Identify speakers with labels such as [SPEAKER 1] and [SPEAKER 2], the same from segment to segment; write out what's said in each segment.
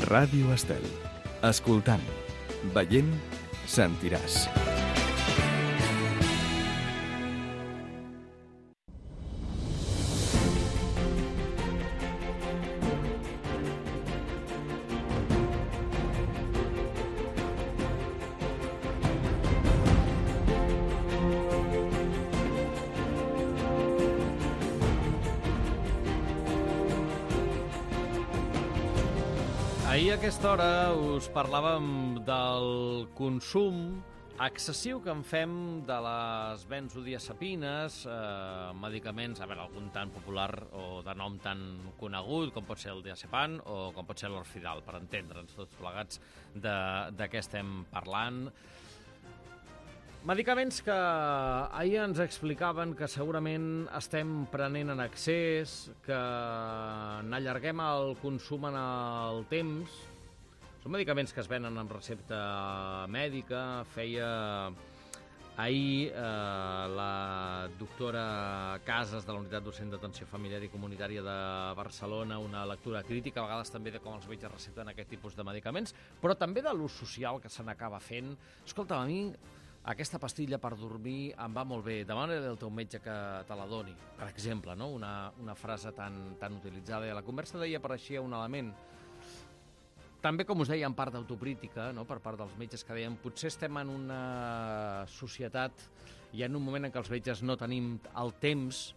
[SPEAKER 1] Ràdio Estel. Escoltant, veient, sentiràs.
[SPEAKER 2] Ahir a aquesta hora us parlàvem del consum excessiu que en fem de les benzodiazepines, medicaments, a veure, algun tan popular o de nom tan conegut com pot ser el diazepam o com pot ser l'Orfidal, per entendre'ns tots plegats de què estem parlant. Medicaments que ahir ens explicaven que segurament estem prenent en excés, que n'allarguem el consum en el temps. Són medicaments que es venen amb recepta mèdica. Feia ahir la doctora Casas, de la Unitat Docent d'Atenció Familiar i Comunitària de Barcelona, una lectura crítica, a vegades també de com els metges recepten aquest tipus de medicaments, però també de l'ús social que se n'acaba fent. Escolta, a mi aquesta pastilla per dormir em va molt bé, demana-li al teu metge que te la doni, per exemple, no? Una frase tan utilitzada. I a la conversa d'ahir apareixia un element, també, com us deia, en part d'autocrítica, no? Per part dels metges, que deien potser estem en una societat i en un moment en què els metges no tenim el temps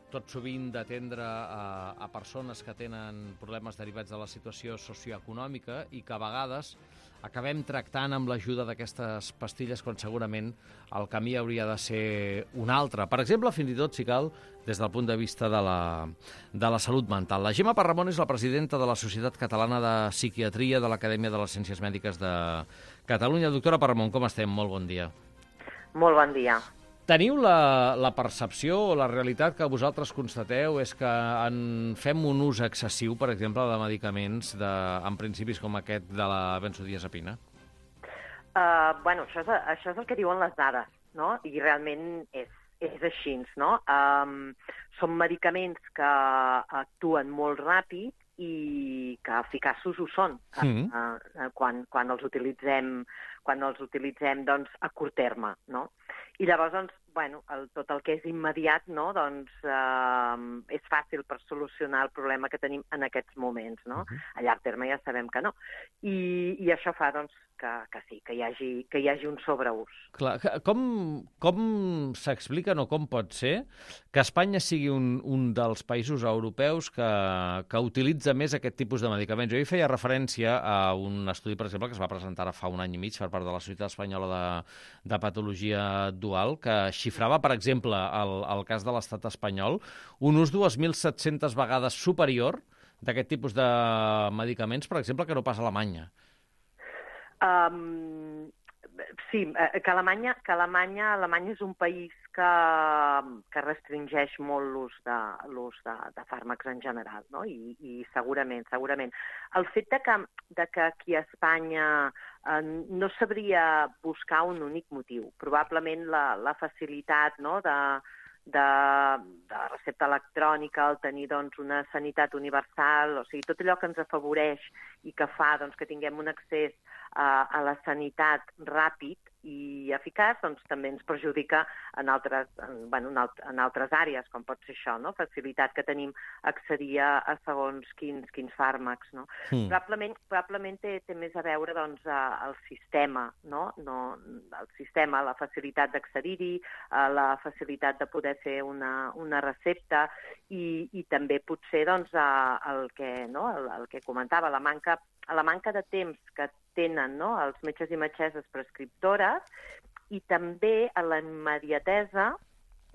[SPEAKER 2] tot sovint d'atendre a persones que tenen problemes derivats de la situació socioeconòmica i que a vegades acabem tractant amb l'ajuda d'aquestes pastilles quan segurament el camí hauria de ser un altre. Per exemple, fins i tot, si cal, des del punt de vista de la salut mental. La Gemma Parramon és la presidenta de la Societat Catalana de Psiquiatria de l'Acadèmia de les Ciències Mèdiques de Catalunya. Doctora Parramon, com estem? Molt bon dia.
[SPEAKER 3] Molt bon dia.
[SPEAKER 2] Teniu la percepció o la realitat que vosaltres constateu és que en fem un ús excessiu, per exemple, de medicaments amb principis com aquest de la benzodiazepina?
[SPEAKER 3] Bueno, això és el que diuen les dades, no? I realment és així, no? Són medicaments que actuen molt ràpid i que eficaços ho són quan els utilitzem doncs, a curt terme, no? I llavors, doncs, bueno, tot el que és immediat, no? Doncs, és fàcil per solucionar el problema que tenim en aquests moments, no? A llarg terme ja sabem que no. I això fa, doncs, que sí, que hi hagi un sobreús.
[SPEAKER 2] Clar, com s'explica, o com pot ser que Espanya sigui un dels països europeus que utilitza més aquest tipus de medicaments? Jo hi feia referència a un estudi, per exemple, que es va presentar ara fa un any i mig per part de la Societat Espanyola de Patologia Dual, que xifrava, per exemple, el cas de l'estat espanyol, un ús 2.700 vegades superior d'aquest tipus de medicaments, per exemple, que no pas a Alemanya.
[SPEAKER 3] Sí, que Alemanya és un país que restringeix molt l'ús de fàrmacs en general, no? I segurament. El fet de que aquí a Espanya no sabria buscar un únic motiu. Probablement la facilitat, no?, de recepta electrònica, el tenir doncs, una sanitat universal, o sigui, tot allò que ens afavoreix i que fa doncs, que tinguem un accés a la sanitat ràpid i eficaç, doncs també ens perjudica en altres àrees, com pot ser això, no? Facilitat que tenim a accedir a segons quins fàrmacs, no? Probablement té més a veure doncs, el sistema, no? El sistema, la facilitat d'accedir-hi, la facilitat de poder fer una recepta i també potser doncs, el que comentava, la manca de temps que tenen, no?, els metges i metgesses prescriptores i també a la immediatesa,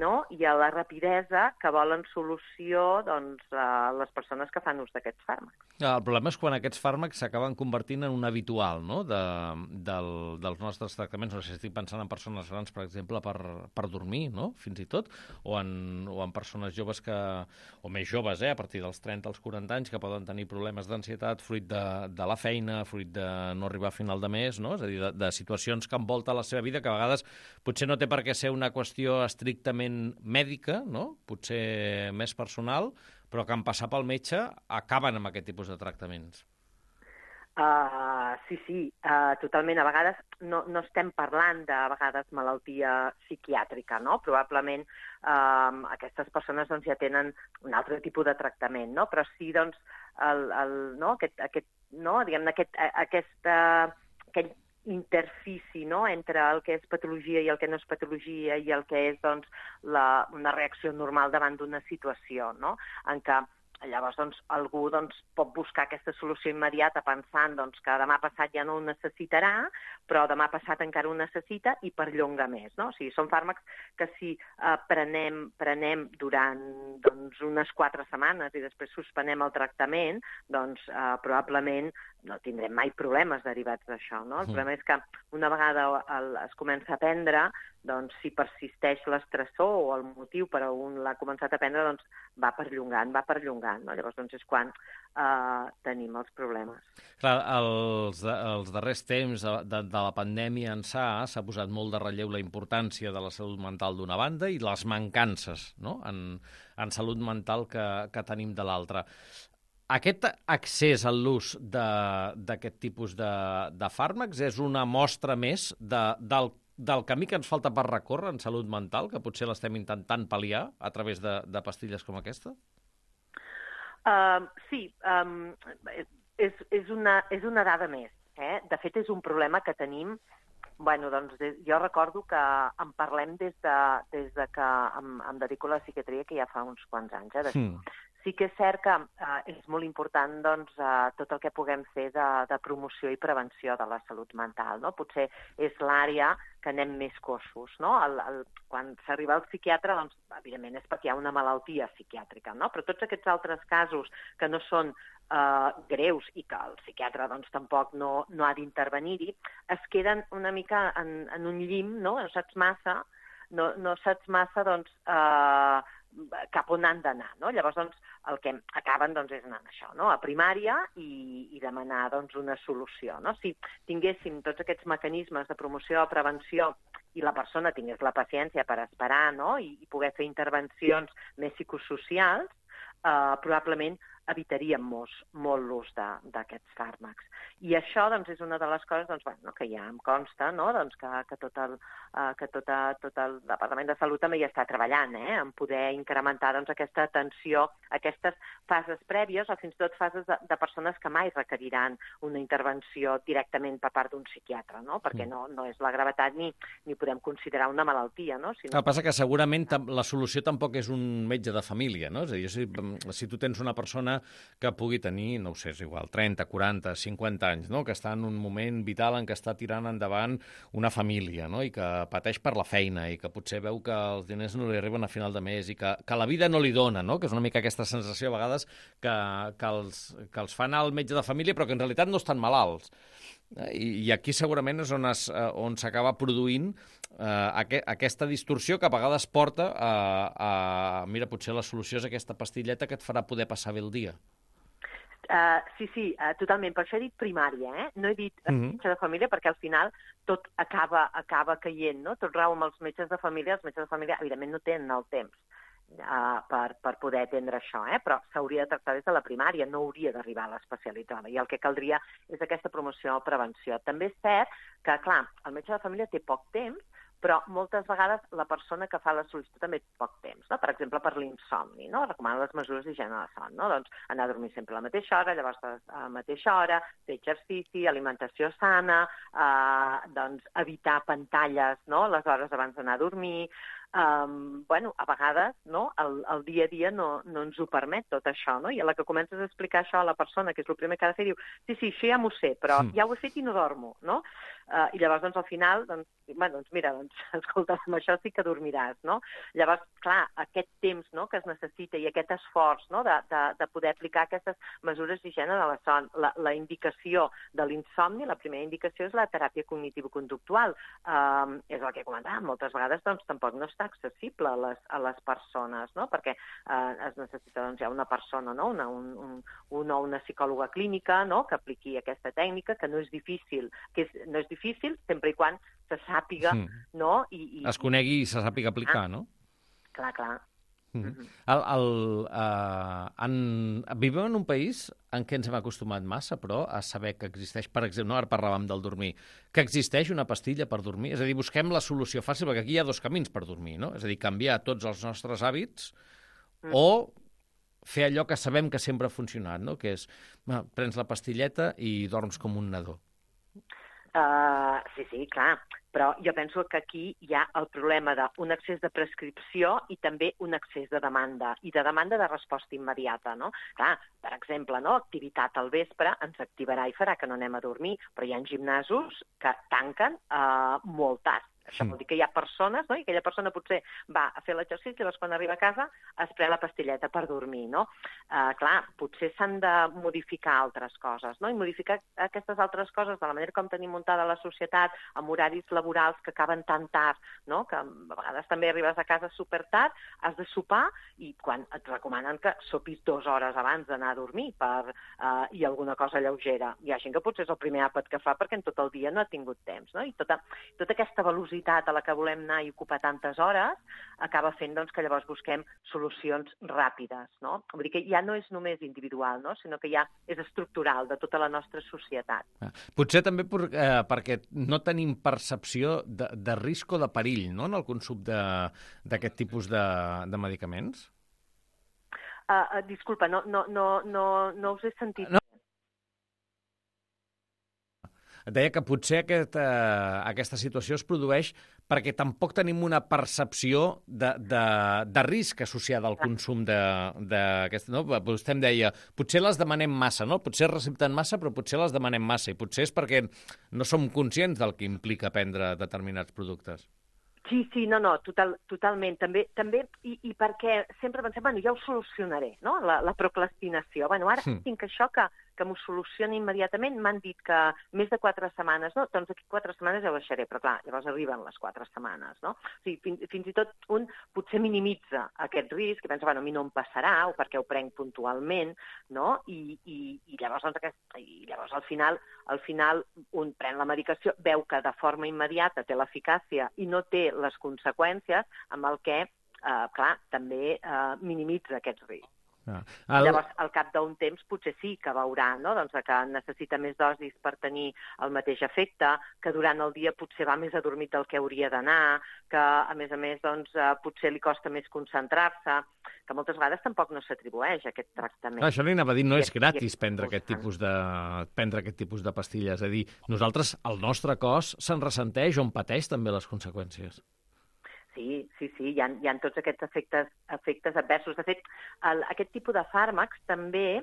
[SPEAKER 3] no?, i a la rapidesa que volen solució doncs, a les persones que fan ús d'aquests fàrmacs.
[SPEAKER 2] El problema és quan aquests fàrmacs s'acaben convertint en un habitual, no?, dels nostres tractaments. No sé si estic pensant en persones grans, per exemple, per dormir, no?, fins i tot, o en persones joves o més joves, a partir dels 30 als 40 anys, que poden tenir problemes d'ansietat fruit de la feina, fruit de no arribar a final de mes, no?, és a dir, de situacions que envolten la seva vida, que a vegades potser no té per què ser una qüestió estrictament mèdica, no?, potser més personal, però que en passar pel metge acaben amb aquest tipus de tractaments.
[SPEAKER 3] Sí, totalment. A vegades no estem parlant de vegades malaltia psiquiàtrica, no? Probablement aquestes persones doncs, ja tenen un altre tipus de tractament, no? Però sí, doncs, aquest interfici, no?, entre el que és patologia i el que no és patologia i el que és doncs, una reacció normal davant d'una situació, no?, en què llavors doncs, algú doncs, pot buscar aquesta solució immediata pensant doncs, que demà passat ja no ho necessitarà, però demà passat encara ho necessita i perllonga més. No? O sigui, són fàrmacs que si prenem durant doncs, unes 4 setmanes i després suspenem el tractament, doncs probablement no tindrem mai problemes derivats d'això. No? El problema és que una vegada es comença a prendre, doncs, si persisteix l'estressor o el motiu per on l'ha començat a prendre, doncs, va perllongant. No? Llavors, doncs, és quan tenim els problemes.
[SPEAKER 2] Clar, els darrers temps de la pandèmia s'ha posat molt de relleu la importància de la salut mental d'una banda i les mancances, no?, en salut mental que tenim de l'altra. Aquest accés a l'ús d'aquest tipus de fàrmacs és una mostra més del camí que ens falta per recórrer en salut mental, que potser l'estem intentant pal·liar a través de pastilles com aquesta?
[SPEAKER 3] Sí, és una dada més. De fet, és un problema que tenim. Bueno, doncs, jo recordo que en parlem des de que em dedico a la psiquiatria, que ja fa uns quants anys. Sí que és cert que és molt important doncs, tot el que puguem fer de promoció i prevenció de la salut mental. No? Potser és l'àrea que anem més coixos. No? Quan s'arriba al psiquiatre, doncs, evidentment, és perquè hi ha una malaltia psiquiàtrica. No? Però tots aquests altres casos que no són greus i que el psiquiatre doncs, tampoc no ha d'intervenir-hi, es queden una mica en un llim, no saps massa, doncs, cap on han d'anar. No? Llavors, doncs, el que acaben doncs, és anar això, no? A primària i demanar doncs, una solució. No? Si tinguéssim tots aquests mecanismes de promoció o prevenció i la persona tingués la paciència per esperar, no? I poder fer intervencions més psicosocials, probablement evitaríem molt l'ús d'aquests fàrmacs. I això doncs, és una de les coses doncs, bueno, que ja em consta, no? Doncs, que tot el Departament de Salut també hi està treballant, en poder incrementar doncs, aquesta atenció, aquestes fases prèvies o fins i tot fases de persones que mai requeriran una intervenció directament per part d'un psiquiatre, no? Perquè no és la gravetat ni podem considerar una malaltia. No?
[SPEAKER 2] El que passa que segurament la solució tampoc és un metge de família, no? És a dir, si tu tens una persona que pugui tenir, no ho sé, és igual, 30, 40, 50 anys, no? Que està en un moment vital en què està tirant endavant una família, no? I que pateix per la feina i que potser veu que els diners no li arriben a final de mes i que la vida no li dona, no? Que és una mica aquesta sensació a vegades que els fan al metge de família però que en realitat no estan malalts. I aquí segurament és on s'acaba produint aquesta distorsió que a vegades porta mira, potser la solució és aquesta pastilleta que et farà poder passar bé el dia.
[SPEAKER 3] Sí, totalment. Per això he dit primària, No he dit metge de família perquè al final tot acaba caient, no? Tot rau amb els metges de família. Els metges de família, evidentment, no tenen el temps per poder atendre això, però s'hauria de tractar des de la primària, no hauria d'arribar a l'especialitzada. I el que caldria és aquesta promoció o prevenció. També és cert que, clar, el metge de família té poc temps, però moltes vegades la persona que fa la sol·licitud també té poc temps, no? Per exemple, per l'insomni, no? Recomana les mesures d'higiene de son, no? Doncs anar a dormir sempre a la mateixa hora, llavors a la mateixa hora, fer exercici, alimentació sana, doncs evitar pantalles, no? Les hores abans d'anar a dormir. Bueno, a vegades no? El dia a dia no ens ho permet tot això, no? I a la que comences a explicar això a la persona, que és el primer que ha de fer, diu, sí, això ja m'ho sé, però ja ho he fet i no dormo, no? I llavors, doncs, al final, mira, escolta, amb això sí que dormiràs, no? Llavors, clar, aquest temps no, que es necessita i aquest esforç no, de poder aplicar aquestes mesures d'higiene de la son. La indicació de l'insomni, la primera indicació és la teràpia cognitiu-conductual. És el que comentàvem, moltes vegades doncs, tampoc no està accessible a les persones, no? Perquè es necessita doncs, ja una persona, no? Una psicòloga clínica no? Que apliqui aquesta tècnica, que no és difícil, sempre i quan se sàpiga, no?
[SPEAKER 2] Es conegui i se sàpiga aplicar, no?
[SPEAKER 3] Clar.
[SPEAKER 2] Vivim en un país en què ens hem acostumat massa, però, a saber que existeix, per exemple, ara parlàvem del dormir, que existeix una pastilla per dormir? És a dir, busquem la solució fàcil, perquè aquí hi ha dos camins per dormir, no? És a dir, canviar tots els nostres hàbits o fer allò que sabem que sempre ha funcionat, no? Que és, prens la pastilleta i dorms com un nadó.
[SPEAKER 3] Sí, clar, però jo penso que aquí hi ha el problema d'un excés de prescripció i també un excés de demanda, i de demanda de resposta immediata, no? Clar, per exemple, no? Activitat al vespre ens activarà i farà que no anem a dormir, però hi ha ginesos que tanquen molt tard. Això vol dir que hi ha persones, no? I aquella persona potser va a fer l'exercici i llavors quan arriba a casa es pren la pastilleta per dormir, no? Clar, potser s'han de modificar altres coses, no? I modificar aquestes altres coses de la manera com tenim muntada la societat, amb horaris laborals que acaben tan tard, no? Que a vegades també arribes a casa super tard, has de sopar i quan et recomanen que sopis 2 hores abans d'anar a dormir i alguna cosa lleugera. Hi ha gent que potser és el primer àpat que fa perquè en tot el dia no ha tingut temps, no? I tota aquesta velocitat a la que volem anar i ocupar tantes hores acaba fent doncs, que llavors busquem solucions ràpides, no? Vull dir que ja no és només individual, no? Sinó que ja és estructural de tota la nostra societat.
[SPEAKER 2] Potser també perquè no tenim percepció de risc o de perill, no?, en el consum d'aquest tipus de medicaments?
[SPEAKER 3] Disculpa, no us he sentit.
[SPEAKER 2] No. Et deia que potser aquesta situació es produeix perquè tampoc tenim una percepció de risc associada al consum d'aquesta. No? Vostè em deia, potser les demanem massa, no? Potser recepten massa, però potser les demanem massa, i potser és perquè no som conscients del que implica prendre determinats productes.
[SPEAKER 3] Sí, no, totalment. També i perquè sempre pensem, bueno, ja ho solucionaré, no?, la procrastinació. Bueno, ara tinc això que m'ho soluciona immediatament. M'han dit que més de 4 setmanes, no? Doncs aquí 4 setmanes ja ho deixaré, però clar, llavors arriben les 4 setmanes, no? O sigui, fins i tot un potser minimitza aquest risc i pensa, bueno, a mi no em passarà, o perquè ho prenc puntualment, no? I llavors, llavors al final un pren la medicació, veu que de forma immediata té l'eficàcia i no té les conseqüències, amb el que, clar, també minimitza aquests riscs. Llavors, al cap d'un temps, potser sí que veurà, no?, doncs, que necessita més dosis per tenir el mateix efecte, que durant el dia potser va més adormit del que hauria d'anar, que, a més, doncs, potser li costa més concentrar-se, que moltes vegades tampoc no s'atribueix aquest tractament.
[SPEAKER 2] Això li anava a dir, no és gratis prendre aquest tipus de pastilles. És a dir, nosaltres, el nostre cos se'n ressenteix o en pateix també les conseqüències.
[SPEAKER 3] Sí, hi ha tots aquests efectes adversos. De fet, aquest tipus de fàrmacs també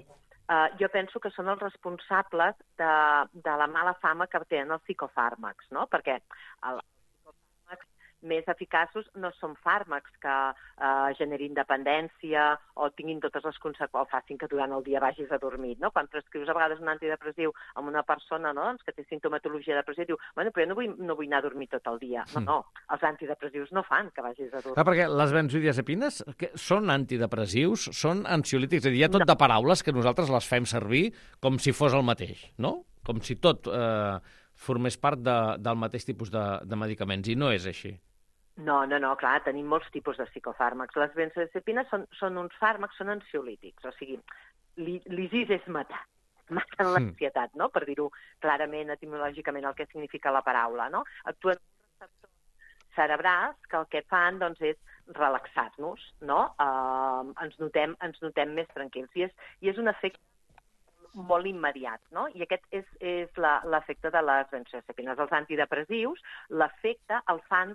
[SPEAKER 3] jo penso que són els responsables de la mala fama que tenen els psicofàrmacs, no? Perquè els psicofàrmacs més eficaços no són fàrmacs que generin dependència o tinguin totes les conseqüències, o facin que durant el dia vagis adormit, no? Quan prescrius a vegades un antidepressiu amb una persona, no?, doncs, que té sintomatologia depressiva, diu, bueno, però jo no vull anar a dormir tot el dia. No, els antidepressius no fan que vagis a dormir.
[SPEAKER 2] Perquè les benzodiazepines són antidepressius, són ansiolítics, és a dir, hi ha tot de paraules que nosaltres les fem servir com si fos el mateix, no? Com si tot formés part del mateix tipus de medicaments, i no és així.
[SPEAKER 3] No, clar, tenim molts tipus de psicofàrmacs. Les benzodiazepines són uns fàrmacs, són ansiolítics, o sigui, l'ISIS és matar. Maten l'ansietat, no?, per dir-ho clarament, etimològicament, el que significa la paraula, no? Actuen receptors cerebrals que el que fan, doncs, és relaxar-nos, no? Ens notem més tranquils. I és un efecte molt immediat, no? I aquest és l'efecte de les benzodiazepines. Els antidepressius, l'efecte el fan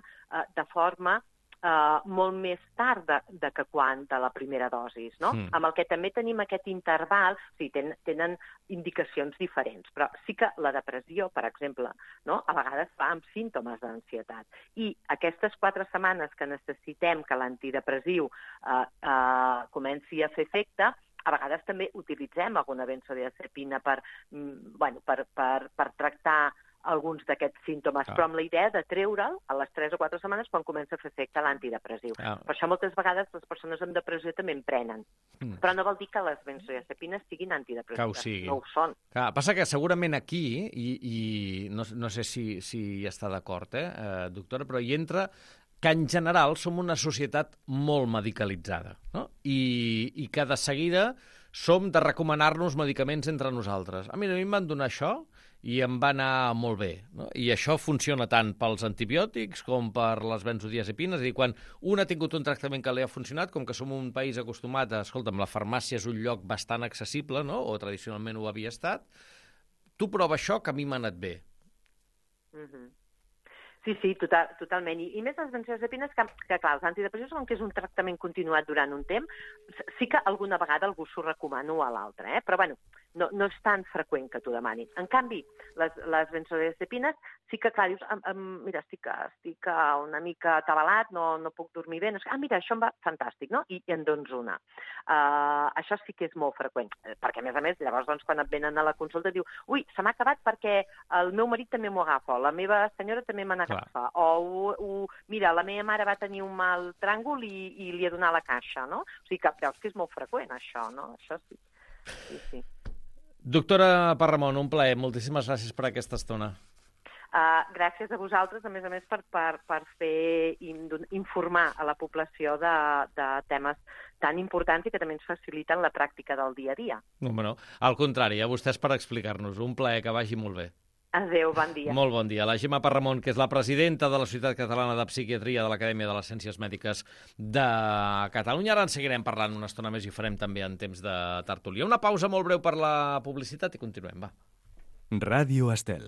[SPEAKER 3] de forma molt més tard que quan de la primera dosi, no? Amb el que també tenim aquest interval, sí, tenen indicacions diferents, però sí que la depressió, per exemple, no?, a vegades va amb símptomes d'ansietat. I aquestes 4 setmanes que necessitem que l'antidepressiu comenci a fer efecte, a vegades també utilitzem alguna benzodiazepina per tractar alguns d'aquests símptomes, però amb la idea de treure'l a les 3 o 4 setmanes quan comença a fer efecte l'antidepressiu. Per això moltes vegades les persones amb depressió també en prenen. Però no vol dir que les benzodiazepines siguin antidepressives. No ho són.
[SPEAKER 2] Passa que segurament aquí, i no sé si hi està d'acord, doctora, però hi entra que en general som una societat molt medicalitzada, no? I que de seguida som de recomanar-nos medicaments entre nosaltres. Mira, a mi em van donar això i em va anar molt bé, no? I això funciona tant pels antibiòtics com per les benzodiazepines. És a dir, quan un ha tingut un tractament que li ha funcionat, com que som un país acostumat a... Escolta'm, la farmàcia és un lloc bastant accessible, no? O tradicionalment ho havia estat. Tu prova això, que a mi m'ha anat bé.
[SPEAKER 3] Sí, totalment. I més les benzodiazepines, que clar, els antidepressius, com que és un tractament continuat durant un temps, sí que alguna vegada algú s'ho recomano a l'altre, però bueno, no és tan freqüent que t'ho demanin. En canvi, les benzodiazepines sí que, clar, dius, mira, estic una mica atabalat, no puc dormir bé, mira, això em va fantàstic, no? I en dones una. Això sí que és molt freqüent, perquè a més, llavors, doncs, quan et venen a la consulta, diu, ui, se m'ha acabat perquè el meu marit també m'ho agafa, la meva senyora també me n'agafa, mira, la meva mare va tenir un mal tràngol i li ha donat la caixa, no? O sigui que veus que és molt freqüent, això, no? Això sí. Sí.
[SPEAKER 2] Doctora Parramon, un plaer. Moltíssimes gràcies per aquesta estona.
[SPEAKER 3] Gràcies a vosaltres, a més, per fer informar a la població de temes tan importants i que també ens faciliten la pràctica del dia a dia.
[SPEAKER 2] No, al contrari, a vostès per explicar-nos. Un plaer, que vagi molt bé.
[SPEAKER 3] Adéu, bon dia.
[SPEAKER 2] Molt bon dia. La Gemma Parramon, que és la presidenta de la Societat Catalana de Psiquiatria de l'Acadèmia de les Ciències Mèdiques de Catalunya. Ara en seguirem parlant una estona més i ho farem també en temps de tertúlia. Una pausa molt breu per la publicitat i continuem, va.
[SPEAKER 1] Ràdio Estel.